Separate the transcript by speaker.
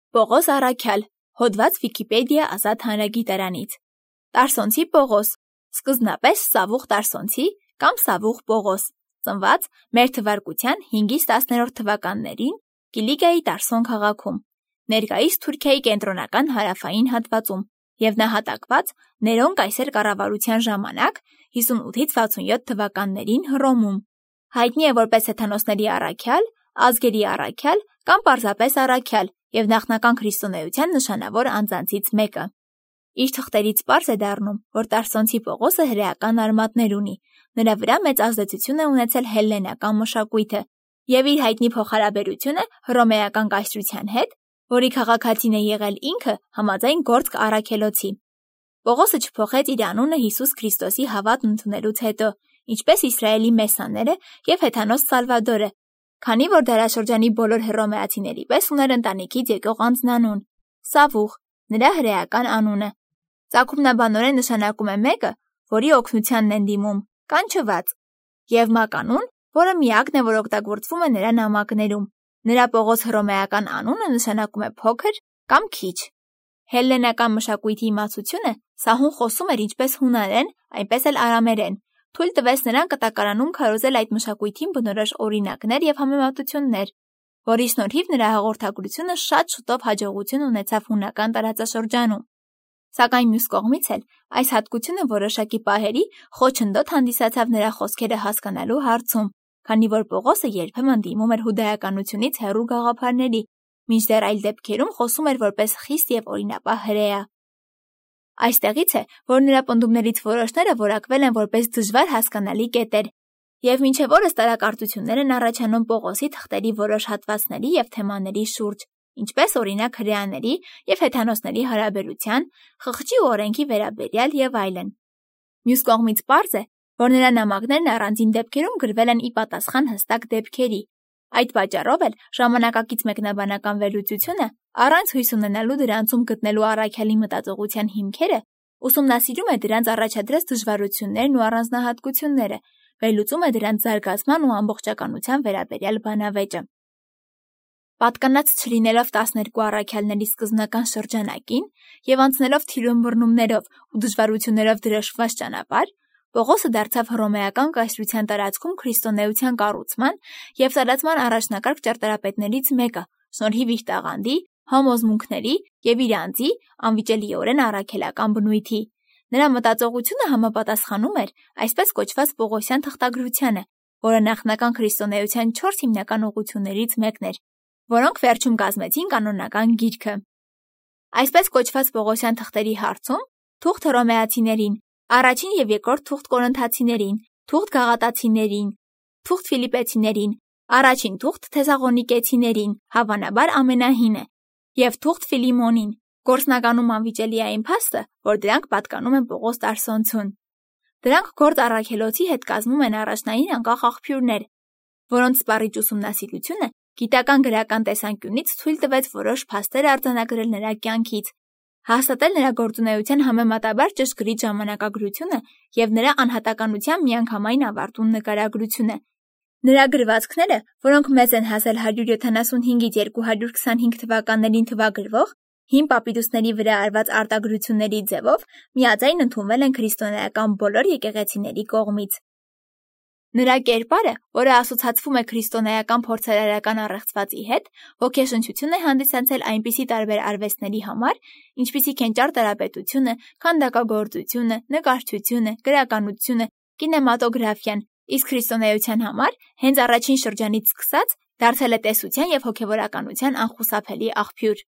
Speaker 1: Պողոս Առաքյալ, հոդված Վիկիպեդիա ազատ հանրագիտարանից։ Տարսոնցի Պողոս, սկզբնապես Սավուխ Տարսոնցի կամ Սավուխ Պողոս, ծնված մեր թվարկության 5-ից 10-րդ թվականներին Կիլիկիայի Տարսոն քաղաքում, ներկայիս Թուրքիայի կենտրոնական հարավային հատվածում և նահատակված Ներոն կայսեր կառավարության ժամանակ 58-ից 67 թվականներին Հռոմում։ Հայտնի է որպես հեթանոսների առաքյալ, ազգերի առաքյալ կամ պարզապես առաքյալ և նախնական քրիստոնեության նշանավոր անձանցից մեկը։ Իր թղթերից պարզ է դառնում, որ Տարսոնցի Պողոսը հրեական արմատներ ունի, նրա վրա մեծ ազդեցություն է ունեցել հելլենական մշակույթը և իր հայտնի փոխհարաբերությունը հռոմեական կայսրության հետ, որի քաղաքացին է եղել ինքը համաձայն Գործք Առաքելոցի։ Պողոսը չփոխեց իր անունը Հիսուս Քրիստոսի հավատն ընդունելուց հետո, ինչպես Իսրայելի Մեսաները և հեթանոս Սալվադորը, քանի որ դարաշրջանի բոլոր հռոմեացիների պես ուներ ընտանիքից եկող անձնանուն՝ Սավուխ, նրա հրեական անունը։ Ծագումնաբանորեն նշանակում է մեկը, որի օգնությանն են դիմում, կանչված, և մականուն, որը միակն է, որ օգտագործվում է նրա նամակներում։ Նրա Պողոս հռոմեական անունը նշանակում է փոքր կամ քիչ։ Հելլենական մշակույթի իմացությունը սահուն խոսում էր ինչպես հունարեն, այնպես էլ արամերեն, թույլ տվեց նրան կտակարանում քարոզել այդ մշակույթին բնորոշ օրինակներ և համեմատություններ, որի շնորհիվ նրա հաղորդագրությունը շատ շուտով հաջողություն ունեցավ հունական տարածաշրջանում։ Սակայն մյուս կողմից էլ այս հատկությունը որոշակի պահերի խոչընդոտ հանդիսացավ նրա խոսքերը հասկանալու հարցում, քանի որ Պողոսը երբեմն դիմում էր հուդայականությունից հեռու գաղափարների, մինչդեռ այլ դեպքերում խոսում էր որպես խիստ և օրինապահ հրեա։ Այստեղից է, որ նրա պնդումներից որոշները որակվել են որպես դժվար հասկանալի կետեր, և մինչև օրս տարակարծություններ են առաջանում Պողոսի թղթերի որոշ հատվածների և թեմաների շուրջ, ինչպես օրինակ հրեաների և հեթանոսների հարաբերության, խղճի ու օրենքի վերաբերյալ և այլն։ Մյուս կողմից պարզ է, որ նրա նամակներն առանձին դեպքերում գրվել են ի պատասխան հստակ դեպքերի։ Այդ պատճառով էլ ժամանակակից մեկնաբանական վերլուծությունը, առանց հույս ունենալու դրանցում գտնելու առաքյալի մտածողության հիմքերը, ուսումնասիրում է դրանց առաջադրած դժվարություններն ու առանձնահատկությունները, վերլուծում է դրանց զարգացման ու ամբողջականության վերաբերյալ բանավեճը։ Պատկանած չլինելով 12 առաքյալների սկզբնական շրջանակին և անցնելով թիրունմռնումներով ու դժվարություններով դրոշմված ճանապարհ, Պողոսը դարձավ հռոմեական կայսրության տարածքում քրիստոնեության կառուցման և տարածման առաջնակարգ ճարտարապետներից մեկը, շնորհիվ իր տաղանդի, համոզմունքների և իր անձի անվիճելիորեն առաքելական բնույթի։ Նրա մտածողությունը համապատասխանում էր այսպես կոչված Պողոսյան թղթագրությանը, որը նախնական քրիստոնեության 4 հիմնական ուղղություններից մեկն էր, որոնք վերջում կազմեցին կանոնական գիրքը։ Այսպես կոչված Պողոսյան թղթերի հարցում թուղթ հռոմեացիներին, առաջին և երկրորդ թուղթ կորինթացիներին, թուղթ գաղատացիներին, թուղթ ֆիլիպեցիներին, առաջին թուղթ թեսաղոնիկեցիներին, հավանաբար ամենահինը, և թուղթ Ֆիլիմոնին, գործնականում անվիճելի է այն փաստը, որ դրանք պատկանում են Պողոս Տարսոնցուն։ Դրանք Գործ Առաքելոցի հետ կազմում են առաջնային անկախ աղբյուրներ, որոնց սպառիչ ուսումնասիրությունը գիտական գրական տեսանկյունից թույլ տվեց որոշ փաստեր արձանագրել նրա կյանքից, հաստատել նրա գործունեության համեմատաբար ճշգրիտ ժամանակագրությունը և նրա անհատականության միանգամայն ավարտուն նկարագրությունը։ Նրա գրվածքները, որոնք մեծ են հասել 175-ից 225 թվականներին թվագրվող հին պապիրուսների վրա արված արտագրությունների ձևով, միաձայն ընդունվել են քրիստոնեական բոլոր եկեղեցիների կողմից։ Նրա կերպարը, որը ասոցացվում է քրիստոնեական փորձարարական առեղծվածի հետ, ոգեշնչություն է հանդիսացել այնպիսի տարբեր արվեստների համար, ինչպիսիք են ճարտարապետությունը, քանդակագործությունը, նկարչությունը, գրականությունը, կինեմատոգրաֆիան, իսկ քրիստոնեության համար հենց առաջին շրջանից սկսած դարձել է տեսության և հոգևորականության անխուսափելի աղբյուր։